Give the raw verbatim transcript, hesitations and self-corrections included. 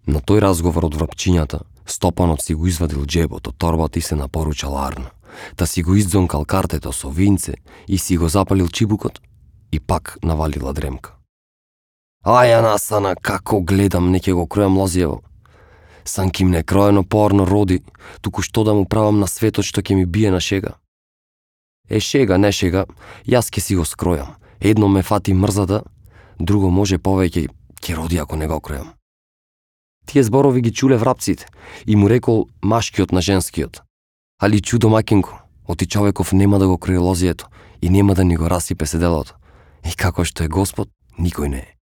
На тој разговор од врапчињата, Стопанот си го извадил џебот од торбата и се напоручал арно, та си го издзонкал картето со винце и си го запалил чибукот и пак навалила дремка. Аја насана, како гледам, не ќе го кројам лозиево. Санким не кроено порно роди, туку што да му правам на светот што ќе ми бие на шега. Е, шега, не шега, јас ќе си го скројам. Едно ме фати мрзата, друго може повеќе ќе роди ако не го кројам. Тие зборови ги чуле врапците и му рекол машкиот на женскиот. Али чу домакинко, оти човеков нема да го крои лозието и нема да ни го расипе седелото. И како што е Господ, никој не е.